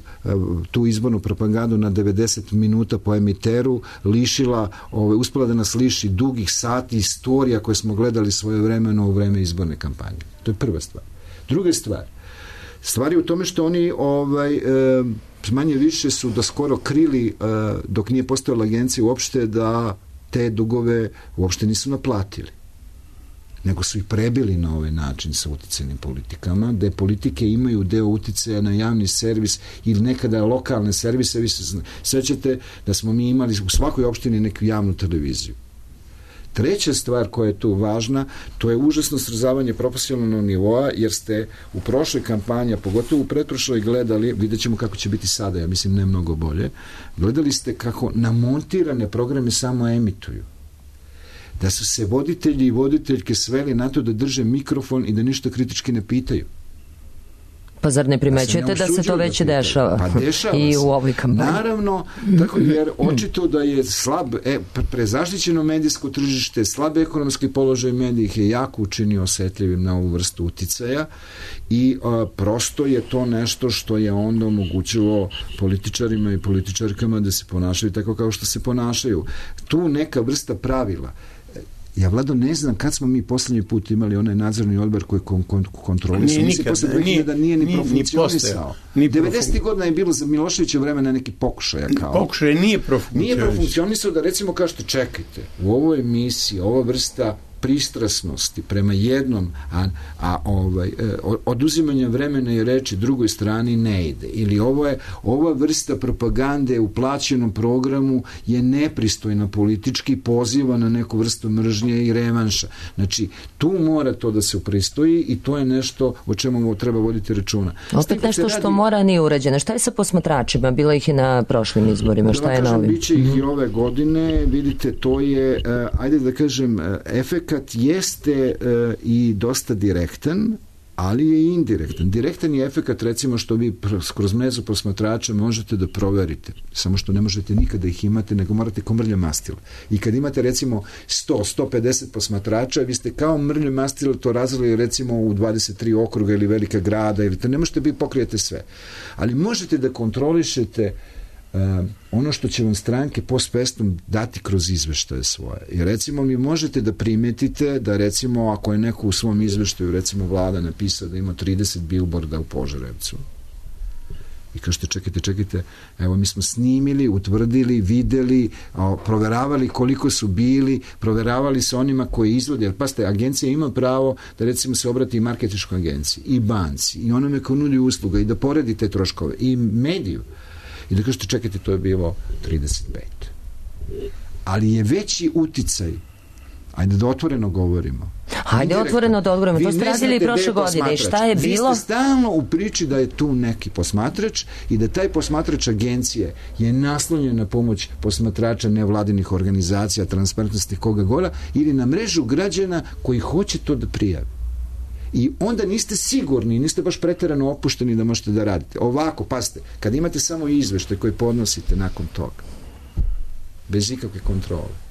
tu izbornu propagandu na devedeset minuta po emiteru, lišila, ovaj, uspela da nas liši dugih sati istorija koje smo gledali svojevremeno u vreme izborne kampanje. To je prva stvar. Druga stvar, stvar je u tome što oni ovaj, e, manje više su da skoro krili, e, dok nije postojala agencija uopšte, da te dugove uopšte nisu naplatili, nego su ih prebili na ovaj način sa uticajnim politikama, gde politike imaju deo uticaja na javni servis ili nekada lokalne servise. Vi se sećate da smo mi imali u svakoj opštini neku javnu televiziju. Treća stvar koja je tu važna, to je užasno srozavanje profesionalnog nivoa, jer ste u prošloj kampanji, pogotovo u pretprošloj, gledali, vidjet ćemo kako će biti sada, ja mislim ne mnogo bolje, gledali ste kako namontirane programe samo emituju. Da su se voditelji i voditeljke sveli na to da drže mikrofon i da ništa kritički ne pitaju. Pa zar ne primećujete da se to već da dešava? Pa dešava i se. U ovoj kampanji. Naravno, tako, jer očito da je slab, e, prezaštićeno medijsko tržište, slab ekonomski položaj medija ih je jako učinio osetljivim na ovu vrstu uticaja, i a, prosto je to nešto što je onda omogućilo političarima i političarkama da se ponašaju tako kao što se ponašaju. Tu neka vrsta pravila. Ja, Vlado, ne znam kad smo mi poslednji put imali onaj nadzorni odbor koji kon, kon, kontrolisao. Mislim, posle nije, da nije ni, ni profunkcionisao. devedesetih godina je bilo za Miloševića vremena neki pokušaja kao. Pokušaj nije profunkcionisao. Nije profunkcionisao da recimo kažete, čekajte, u ovoj emisiji, ova vrsta pristrasnosti prema jednom, a, a ovaj, oduzimanje vremena i reči drugoj strani ne ide. Ili ovo je, ova vrsta propagande u plaćenom programu je nepristojna politički, poziva na neku vrstu mržnje i revanša. Znači, tu mora to da se upristoji i to je nešto o čemu treba voditi računa. Opet nešto radi... što mora nije urađeno. Šta je sa posmatračima? Bilo ih i na prošlim izborima. Šta je novim? Biće ih i ove godine. Vidite, to je, ajde da kažem, efekt kad jeste uh, i dosta direktan, ali je i indirektan. Direktan je efekat, recimo, što vi kroz mrežu posmatrača možete da proverite. Samo što ne možete nikada ih imati, nego morate kao mrlje mastila. I kad imate, recimo, sto do sto pedeset posmatrača, vi ste kao mrlje mastila to razvili, recimo, u dvadeset tri okruga ili velika grada, ili to ne možete biti pokrijete sve. Ali možete da kontrolišete Uh, ono što će vam stranke post festum dati kroz izveštaje svoje. I recimo mi možete da primetite da recimo ako je neko u svom izveštaju recimo vlada napisao da ima trideset bilborda u Požarevcu i kažete čekajte, čekajte, evo mi smo snimili, utvrdili, videli, a, proveravali koliko su bili, proveravali sa onima koji izvode, jer pasite, agencija ima pravo da recimo se obrati i marketinškoj agenciji, i banci, i onome ko nudi usluga, i da poredi te troškove, i mediju. I da kažete, čekajte, to je bilo trideset pet. Ali je veći uticaj, ajde da otvoreno govorimo. Hajde otvoreno da odgovorimo. To ste radili i prošle godine. Šta je bilo? Vi ste stalno u priči da je tu neki posmatrač i da taj posmatrač agencije je naslonjen na pomoć posmatrača nevladinih organizacija, transparentnosti koga gora, ili na mrežu građana koji hoće to da prijavi. I onda niste sigurni, niste baš preterano opušteni da možete da radite. Ovako, pasite, kad imate samo izveštaj koji podnosite nakon toga, bez ikakve kontrole,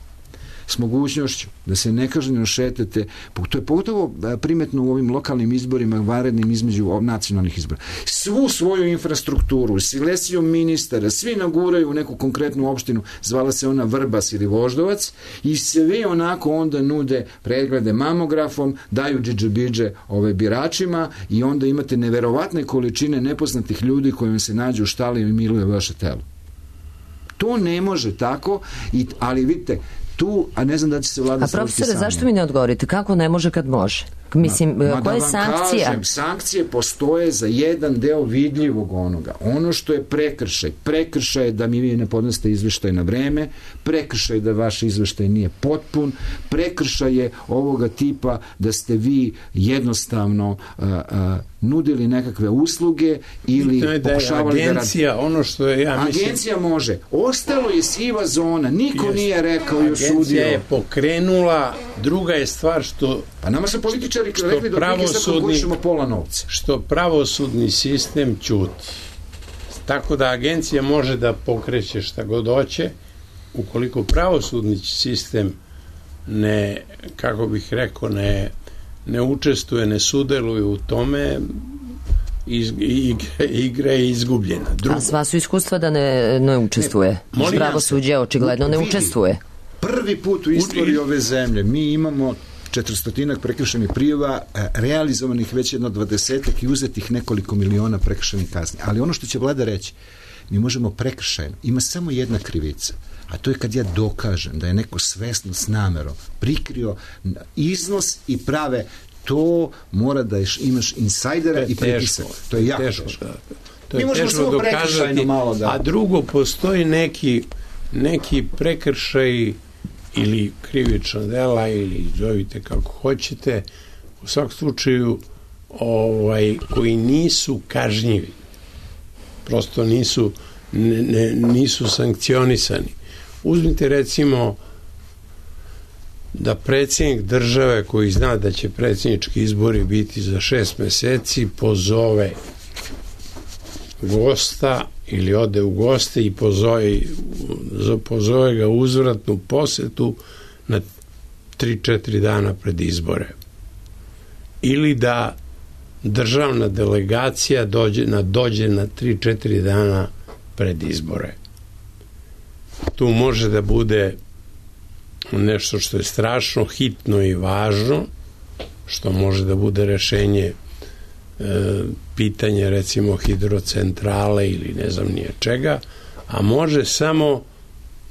s mogućnošću da se nekažnjeno šetate, to je pogotovo primetno u ovim lokalnim izborima, vanrednim između nacionalnih izbora. Svu svoju infrastrukturu, silesiju ministara, svi naguraju u neku konkretnu opštinu, zvala se ona Vrbas ili Voždovac, i sve onako onda nude preglede mamografom, daju džidžabidže ove biračima i onda imate neverovatne količine nepoznatih ljudi koji vam se nađu u štali i miluje vaše telo. To ne može tako, i, ali vidite, tu, a ne znam da će se vlada... A profesore, zašto mi ne odgovorite? Kako ne može kad može? Mislim, ma, koja je sankcija? Kažem, sankcije postoje za jedan deo vidljivog onoga. Ono što je prekršaj. Prekršaj je da mi vi ne podnesete izveštaj na vreme, prekršaj je da vaš izveštaj nije potpun, prekršaj je ovoga tipa da ste vi jednostavno uh, uh, nudili nekakve usluge ili da pokušavali da agencija, da ono što je, ja mislim... Agencija može. Ostalo je siva zona. Niko jest, nije rekao i osudio. Agencija je pokrenula. Druga je stvar što... Pa nama su političari rekli da otprilike sad konkulišemo pola novca. Što pravosudni sistem ćuti. Tako da agencija može da pokreće šta god hoće, ukoliko pravosudni sistem ne, kako bih rekao, ne, ne učestvuje, ne sudeluje u tome, iz, igra, igra je izgubljena. Drugo, a sva su iskustva da ne, ne učestvuje. Ne, pravosuđe očigledno ne učestvuje. Prvi put u istoriji ove zemlje mi imamo četiristotinak prekršajnih prijava, realizovanih već jedno dvadesetak i uzetih nekoliko miliona prekršajnih kazni. Ali ono što će vlada reći, mi možemo prekršajno, ima samo jedna krivica, a to je kad ja dokažem da je neko svesno s namerom prikrio iznos i prave, to mora da imaš insajdera i pritisak. To je jako teško. To je teško dokazati, malo da... a drugo, postoji neki, neki prekršaj ili krivična dela, ili zovite kako hoćete, u svakom slučaju ovaj, koji nisu kažnjivi, prosto nisu ne, ne, nisu sankcionisani. Uzmite recimo da predsjednik države, koji zna da će predsjednički izbori biti za šest meseci, pozove gosta ili ode u goste i pozove, pozove ga uzvratnu posetu na tri četiri dana pred izbore. Ili da državna delegacija dođe na, dođe na tri četiri dana pred izbore. Tu može da bude nešto što je strašno hitno i važno, što može da bude rešenje e, pitanje recimo hidrocentrale ili ne znam nije čega, a može samo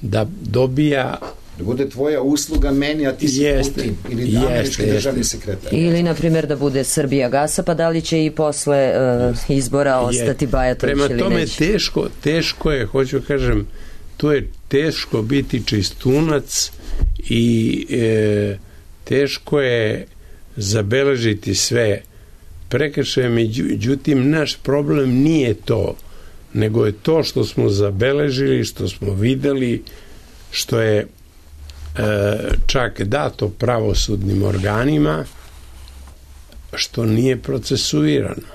da dobija Da bude tvoja usluga meni, a ti si Jeste, Putin ili jeste, američki jeste. državni sekretar. Ili, na primjer, da bude Srbija gasa, pa da li će i posle uh, izbora ostati Bajatović ili neće? Prema tome, teško, teško je, hoću kažem, to je teško biti čistunac i e, teško je zabeležiti sve prekršaje, međutim, naš problem nije to, nego je to što smo zabeležili, što smo videli, što je čak dato pravosudnim organima, što nije procesuirano,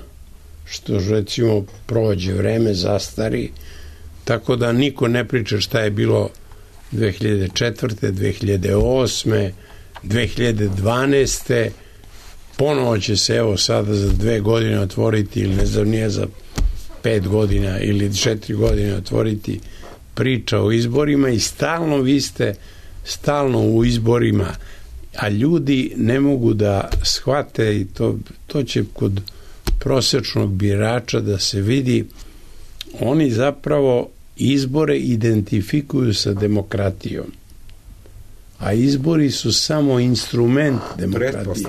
što recimo prođe vreme, zastari, tako da niko ne priča šta je bilo dve hiljade četvrte, dve hiljade osme, dve hiljade dvanaeste, ponovo će se evo sada za dve godine otvoriti, ili ne znam, nije za pet godina ili četiri godine otvoriti priča o izborima i stalno vi ste stalno u izborima, a ljudi ne mogu da shvate i to, to će kod prosečnog birača da se vidi, oni zapravo izbore identifikuju sa demokratijom, a izbori su samo instrument demokratije.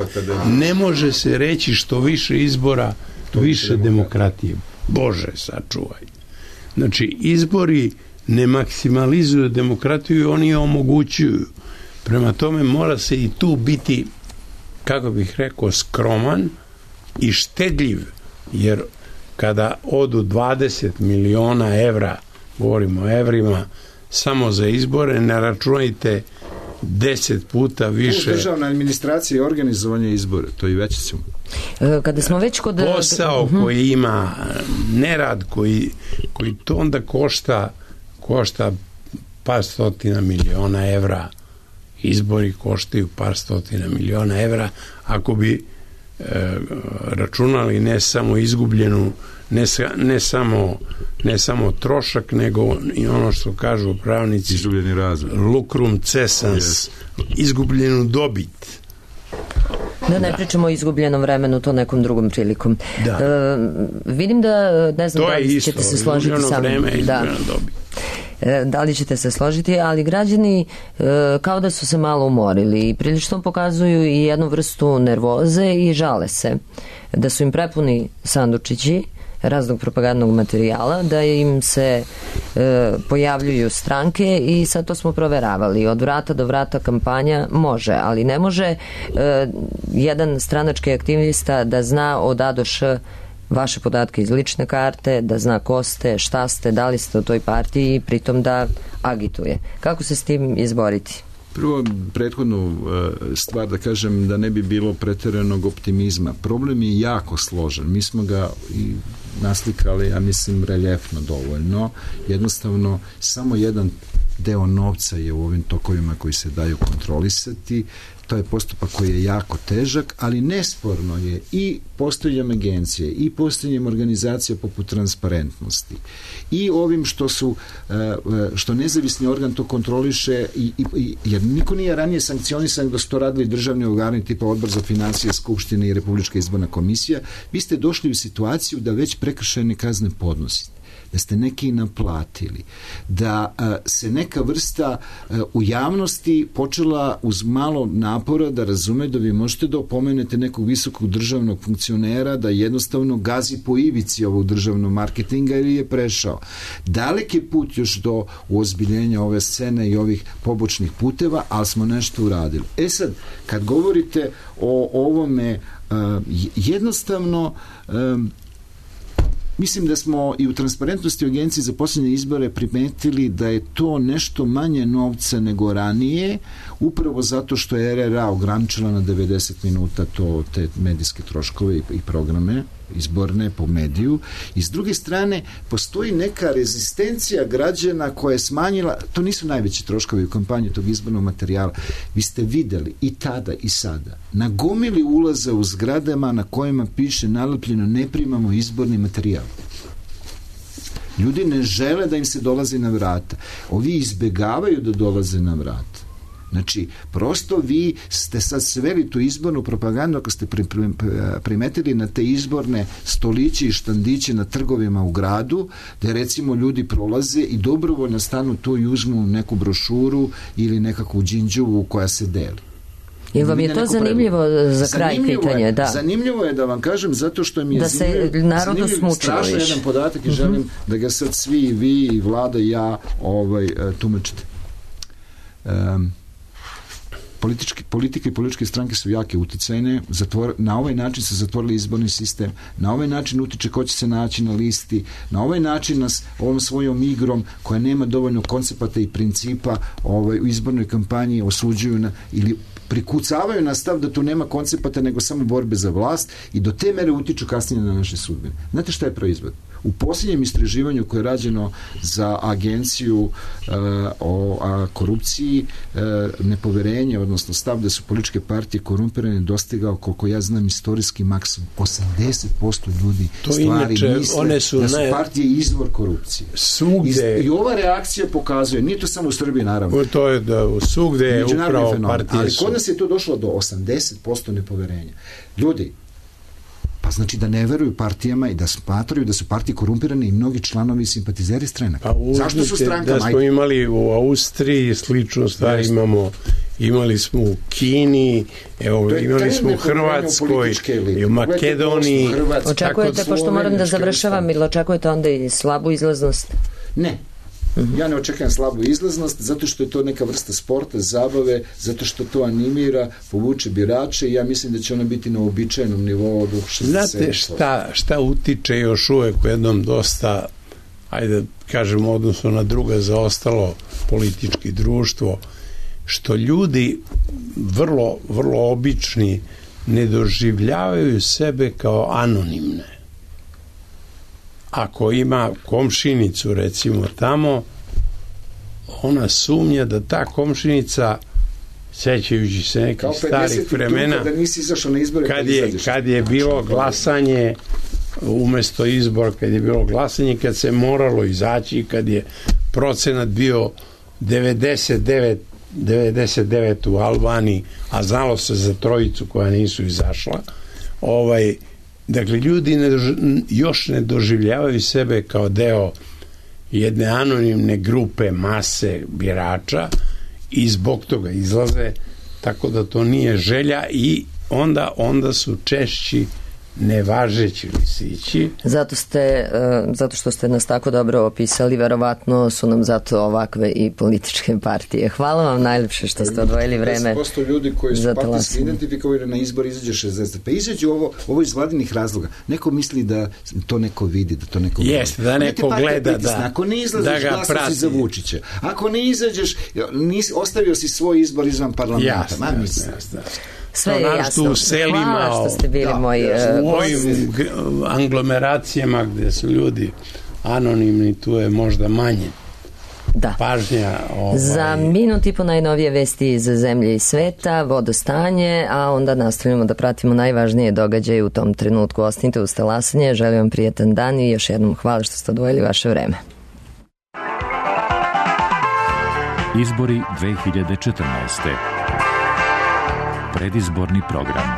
Ne može se reći što više izbora, više demokratije. Bože, sačuvaj. Znači, izbori ne maksimalizuju demokratiju i oni je omogućuju. Prema tome mora se i tu biti, kako bih rekao, skroman i štedljiv, jer kada odu dvadeset miliona evra, govorimo o evrima, samo za izbore, ne računajte deset puta više. Državna administracija i organizovanje izbora, to i već ćemo. Kada smo već kod... Posao uh-huh. koji ima, nerad koji, koji to onda košta košta par stotina miliona evra, izbori koštaju par stotina miliona evra, ako bi e, računali ne samo izgubljenu, ne, ne, samo, ne samo trošak, nego i ono što kažu pravnici, izgubljeni razvoj, lucrum cessans, yes. izgubljenu dobit. Da ne da. pričamo o izgubljenom vremenu, to nekom drugom prilikom. Da. E, vidim da, ne znam, to da li ćete se složiti sa mnom. Da. Da li ćete se složiti, ali građani e, kao da su se malo umorili i prilično pokazuju i jednu vrstu nervoze i žale se da su im prepuni sandučići raznog propagandnog materijala, da im se e, pojavljuju stranke i sad to smo proveravali. Od vrata do vrata kampanja može, ali ne može e, jedan stranački aktivista da zna od A do Š vaše podatke iz lične karte, da zna ko ste, šta ste, da li ste u toj partiji i pritom da agituje. Kako se s tim izboriti? Prvo, prethodnu stvar da kažem da ne bi bilo pretjeranog optimizma. Problem je jako složen. Mi smo ga i naslikali, ja mislim, reljefno dovoljno. Jednostavno, samo jedan deo novca je u ovim tokovima koji se daju kontrolisati. To je postupak koji je jako težak, ali nesporno je i postojanjem agencije i postojanjem organizacija poput transparentnosti i ovim što su što nezavisni organ to kontroliše i, i, jer niko nije ranije sankcionisan da su to radili državni organi tipa Odbor za financije, Skupštine i Republička izborna komisija. Vi ste došli u situaciju da već prekršajne kazne podnosite, da ste neki naplatili, da a, se neka vrsta a, u javnosti počela uz malo napora da razume da vi možete da opomenete nekog visokog državnog funkcionera da jednostavno gazi po ivici ovog državnog marketinga ili je prešao. Dalek je put još do uozbiljenja ove scene i ovih pobočnih puteva, ali smo nešto uradili. E sad, kad govorite o ovome, a, jednostavno a, mislim da smo i u transparentnosti agencije za posljednje izbore primetili da je to nešto manje novca nego ranije, upravo zato što je R R A ograničila na devedeset minuta to, te medijske troškove i, i programe izborne po mediju. I s druge strane, postoji neka rezistencija građana koja je smanjila, to nisu najveći troškovi u kampanji tog izbornog materijala. Vi ste videli i tada i sada na gomili ulaza u zgradama na kojima piše nalepljeno ne primamo izborni materijal. Ljudi ne žele da im se dolazi na vrata. Ovi izbegavaju da dolaze na vrata. Znači, prosto vi ste sad sveli tu izbornu propagandu ako ste primetili na te izborne stoliće i štandiće na trgovima u gradu, gde recimo ljudi prolaze i dobrovoljno stanu tu i uzmu neku brošuru ili nekakvu džinđuvu koja se deli. Ili vam je to zanimljivo za kraj pitanje? Da. Zanimljivo je da vam kažem zato što mi je da se narodu smučilo strašno jedan podatak i uh-huh. želim da ga sad svi i vi i Vlada i ja ovaj, tumačite. Um, Politički, politika i političke stranke su jake uticajne, zatvor, na ovaj način se zatvorili izborni sistem, na ovaj način utiče ko će se naći na listi, na ovaj način nas ovom svojom igrom koja nema dovoljno koncepata i principa ovaj, u izbornoj kampanji osuđuju na, ili prikucavaju na stav da tu nema koncepata nego samo borbe za vlast i do te mere utiču kasnije na naše sudbine. Znate šta je proizvod? U posljednjem istraživanju koje je rađeno za agenciju uh, o a, korupciji, uh, nepoverenje, odnosno stav da su političke partije korumpirane, dostigao, koliko ja znam, istorijski maksimum. osamdeset posto ljudi to stvari inače, misle one su da su naj... partije izvor korupcije. Svugde... I, I ova reakcija pokazuje, nije to samo u Srbiji, naravno. O, to je da svugde je upravo fenomen, partije ali su. Kod nas je to došlo do osamdeset posto nepoverenja. Ljudi, pa znači da ne veruju partijama i da smatraju da su partije korumpirane i mnogi članovi i simpatizeri stranaka. Pa zašto su strankama? Da smo imali u Austriji sličnu stvar, Jeste. imamo imali smo u Kini, evo, imali smo u Hrvatskoj i u Makedoniji. Očekujete, pošto moram da završavam, ili očekujete onda i slabu izlaznost? Ne. Uh-huh. Ja ne očekujem slabu izlaznost zato što je to neka vrsta sporta, zabave, zato što to animira, povuče birače i ja mislim da će ona biti na uobičajenom nivou od šezdeset. Znate šta, šta utiče još uvek u jednom dosta, ajde kažemo odnosno na druga zaostalo politički društvo, što ljudi vrlo, vrlo obični ne doživljavaju sebe kao anonimne. Ako ima komšinicu recimo tamo, ona sumnja da ta komšinica, sećajući se nekih starih vremena, da nisi izašao na izbore, kad je, kad je bilo glasanje umesto izbora, kad je bilo glasanje, kad se moralo izaći, kad je procenat bio devedeset devet u Albaniji, a znalo se za trojicu koja nisu izašla, ovaj, dakle, ljudi ne dož, još ne doživljavaju sebe kao deo jedne anonimne grupe mase birača i zbog toga izlaze, tako da to nije želja i onda, onda su češći nevažeći lisići. Zato ste, zato što ste nas tako dobro opisali, verovatno su nam zato ovakve i političke partije. Hvala vam najlepše što ste odvojili vreme. deset posto ljudi koji su partijski identifikovani na izbor izađe šezdeset. Pa izađe ovo, ovo iz vladinih razloga. Neko misli da to neko vidi, da to neko vidi. Jeste, da neko gleda, da, ako ne izlaziš, da glasao si za Vučića. Ako ne izađeš, nis, ostavio si svoj izbor izvan parlamenta. Jasno, jasno, jasno. Sve je jasno. U selima, hvala što ste bili da, moji u ovim anglomeracijama gde su ljudi anonimni, tu je možda manje da. pažnja. Ovaj... Za minut i po najnovije vesti iz zemlje i sveta, vodostanje, a onda nastavljamo da pratimo najvažnije događaje u tom trenutku. Ostanite uz talasanje, želim vam prijetan dan i još jednom hvala što ste odvojili vaše vreme. Izbori dve hiljade četrnaeste. Predizborni program.